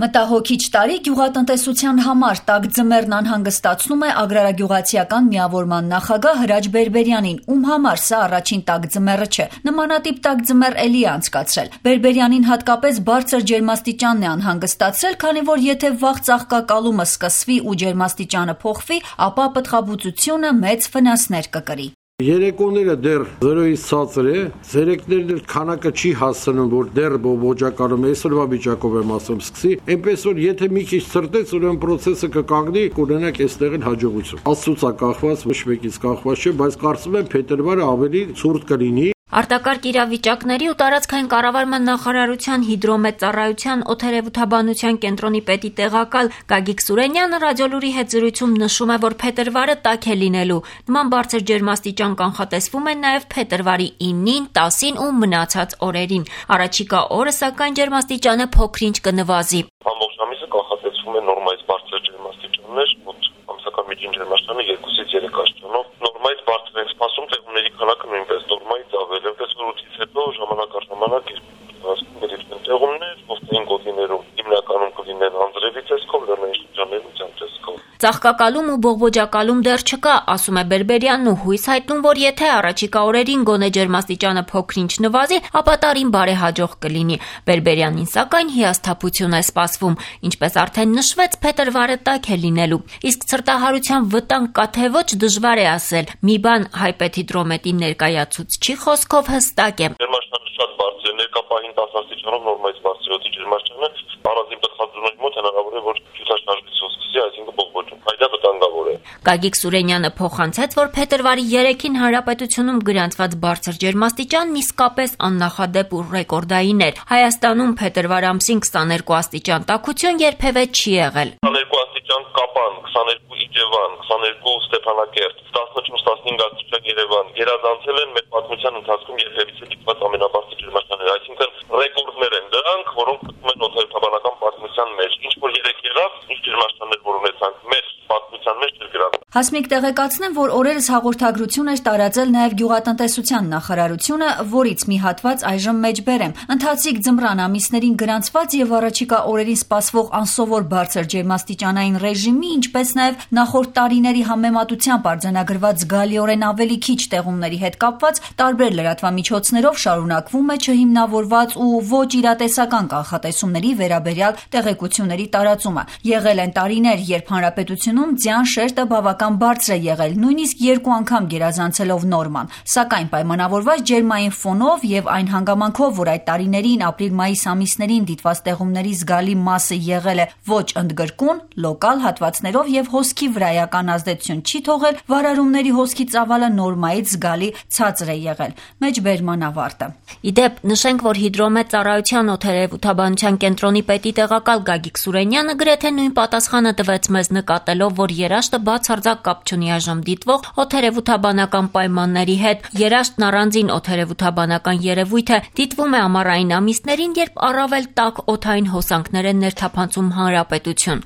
Մտահոգիչ տարի գյուղատնտեսության համար տաք ձմեռն անհանգստացնում է Ագրարագյուղացիական միավորման նախագահ Հրաչ Բերբերյանին, ում համար սա առաջին տաք ձմեռը չէ։ Նմանատիպ տաք ձմեռ էլի է անցկացրել։ Բերբերյանին հատկապես բարձր ջերմաստիճանն է անհանգստացրել, քանի որ եթե վաղ ծաղկակալումը սկսվի ու ջերմաստիճանը փոխվի, ապա պտղաբուծությունը մեծ վնասներ կկրի։ Երեկոները դեռ 0-ից ցածր է, ցերեկներն էլ քանակը չի հասցնում, որ դեռ բոջակալում է, այսօրվա վիճակով եմ ասում, սկսի, այնպես որ եթե մի քիչ ցրտեց, ուրեմն process-ը կկանգնի, կունենանք այստեղ էլ հաջողություն։ Աստծուց է կախված, ոչ մեկից կախված չէ, բայց կարծում եմ փետրվարը ավելի ցուրտ կլինի։ Արտակարգ իրավիճակների ու տարածքային կառավարման նախարարության հիդրոմեծառայության օդերևութաբանության կենտրոնի պետի տեղակալ Գագիկ Սուրենյանը ռադիոլուրի հետ զրույցում նշում է, որ փետրվարը տաք է լինելու։ Նման բարձր ջերմաստիճան կանխատեսվում է նաև փետրվարի 9-ին, 10-ին ու մնացած օրերին։ Առաջիկա օրը սակայն ջերմաստիճանը փոքր-ինչ կնվազի։ Ամբողջ ամիսը կանխատեսվում է նորմայից բարձր ջերմաստիճաններ, ամսական միջին ջերմաստիճանը 2-ից 3 աստիճանով, նորմայից բարձր են սպասում տեղումների քանակը նույնպես նորմայից ավել է, որից հետո ժամանակ առ ժամանակ իրեն տեղումներ, ովքերին գոտիներում հիմնականում կլինեն անձրևի տեսքով, լեռնային շրջաններում ձյան տեսքով։ Ծաղկակալում ու բողբոջակալում դեռ չկա, ասում է Բերբերյանն ու հույս հայտնում, որ եթե առաջիկա օրերին գոնե ջերմաստիճանը փոքր-ինչ նվազի, ապա տարին բարեհաջող կլինի։ Բերբերյանին սակայն հիասթափություն է սպասվում, ինչպես արդեն նշվեց, փետրվարը տաք է լինելու։ Իսկ ցրտահարության վտանգ կա թե ոչ, դժվար է ասել։ Մի բան հայպեթիդրոմետի ներկայացուցչի խոսքով հստակ է։ Ջերմաստիճանը շատ բարձր է, ներկա պահին 10 աստիճանով նորմայից բարձր է ջերմաստիճանը, առանձին պտղաբուծությունների մոտ հնարավոր է, որ ցուցաշնչվի սկսի, այսինքն բողբոջում։ Այդ վտանգավոր է։ Գագիկ Սուրենյանը փոխանցեց, որ փետրվարի 3-ին հանրապետությունում գրանցված բարձր ջերմաստիճանն իսկապես աննախադեպ ու ռեկորդային էր։ Հայաստանում փետրվար ամսին 22 աստիճան տաքություն երբևէ չի եղել։ 22 աստիճան Կապան, 22 Իջևան, 22 Ստեփանակերտ, 14-15 աստիճան Երևան գերազանցել են մեր պատմության ընթացքում երբևիցե դիտված ամենաբարձր ջերմաստիճանները, այսինքն ռեկորդներ են դրանք, որոնք մտնում են օդերևութաբանական պատմության մեջ։ Ինչ որ երեք եղավ, ինչ ջերմաստիճաններ որ ունեցանք, մեր պատմության մեջ չեր գրավել։ Հասմիկ տեղեկացնեմ, որ օրերս հաղորդագրություն էր տարածել նաև գյուղատնտեսության նախարարությունը, որից մի հատված այժմ մեջբերեմ։ Ընթացիկ ձմռան ամիսներին գրանցված եւ առաջիկա օրերին սպասվող անսովոր բարձր ջերմաստիճանային ռեժիմի, ինչպես նաև նախորդ տարիների համեմատությամբ արձանագրված զգալիորեն ավելի քիչ տեղումների հետ կապված տարբեր լրատվամիջոցներով շարունակվում է չհիմնավորված ու ոչ իրատեսական կանխատեսումների վերաբերյալ տեղեկությունների տարածումը։ Եղել են տարիներ, երբ հանրապետությունում ձյան շերտը բավական բարձր է եղել, նույնիսկ 2 անգամ գերազանցելով նորման, սակայն պայմանավորված ջերմային ֆոնով եւ այն հանգամանքով, որ այդ տարիներին ապրիլ-մայիս ամիսներին դիտված տեղումների զգալի մասը եղել է ոչ ընդգրկուն, լոկալ հատվածներով եւ հոսքի վրայական ազդեցություն չի թողել, վարարումների հոսքի ծավալը նորմայից զգալի ցածր է եղել։ Մեջբերման ավարտը։ Իդեպ նշենք, որ հիդրոմեծառայության օդերևութաբանության կենտրոնի պետի տեղակալ Գագիկ Սուրենյանը գրեթե նույն պատասխանը տվեց մեզ, նկատելով, որ երաշտը բացարձակ կապ չունի այժմ դիտվող օդերևութաբանական պայմանների հետ։ Երաշտն առանձին օդերևութաբանական երևույթ է, դիտվում է ամառային ամիսներին, երբ առավել տաք օդային հոսանքներ են ներթափանցում հանրապետություն։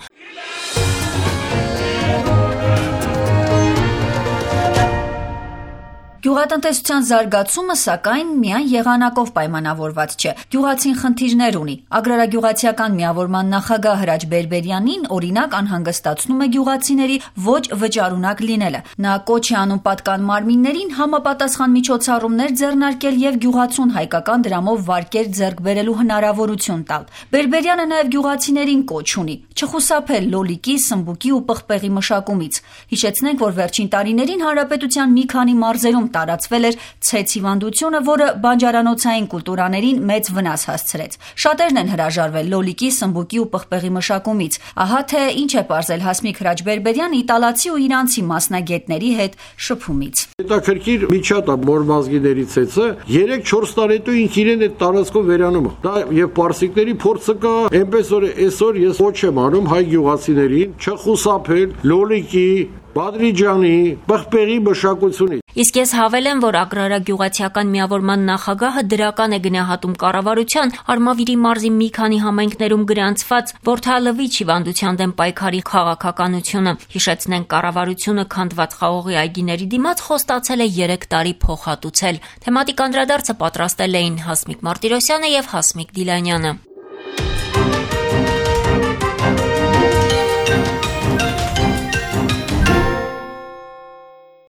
Գյուղատնտեսության զարգացումը, սակայն, միայն եղանակով պայմանավորված չէ։ Գյուղացին խնդիրներ ունի։ Ագրարագյուղացիական միավորման նախագահ Հրաչ Բերբերյանին, օրինակ, անհանգստացնում է գյուղացիների ոչ վճարունակ լինելը։ Նա կոչ է անում պատկան մարմիններին համապատասխան միջոցառումներ ձեռնարկել եւ գյուղացուն հայկական դրամով վարկեր ձեռք բերելու հնարավորություն տալ։ Բերբերյանը նաեւ գյուղացիներին կոչ ունի չխուսափել լոլիկի, սմբուկի ու պղպեղի մշակումից։ Հիշեցնենք, որ վերջին տարիներին հանրապետության մի քանի մարզերում տարածվել էր ցեց հիվանդությունը, որը բանջարանոցային կուլտուրաներին մեծ վնաս հասցրեց։ Շատերն են հրաժարվել լոլիկի, սմբուկի ու պղպեղի մշակումից։ Ահա թե ինչ է պարզել Հասմիկ Հրաչ Բերբերյան իտալացի ու իրանցի մասնագետների հետ շփումից։ Հետաքրքիր միջատ է մորմազգիների ցեցը 3-4 տարի հետո ինք իրեն այդ տարածքով վերանում է։ Դա եւ պարսիկների փորձը կա, այնպես որ այսօր ես ոչ եմ անում հայ գյուղացիներին չխուսափել լոլիկի, բադրիջանի, պղպեղի մշակությունից։ Իսկ ես հավելեմ, որ Ագրարագյուղացիական միավորման նախագահը դրական է գնահատում կառավարության Արմավիրի մարզի մի քանի համայնքներում գրանցված որդալվիչ հիվանդության դեմ պայքարի քաղաքականությունը։ Հիշեցնենք, կառավարությունը քանդված խաղողի այգիների դիմաց խոստացել է 3 տարի փոխհատուցել։ Թեմատիկ անդրադարձը պատրաստել էին Հասմիկ Մարտիրոսյանը եւ Հասմիկ Դիլանյանը։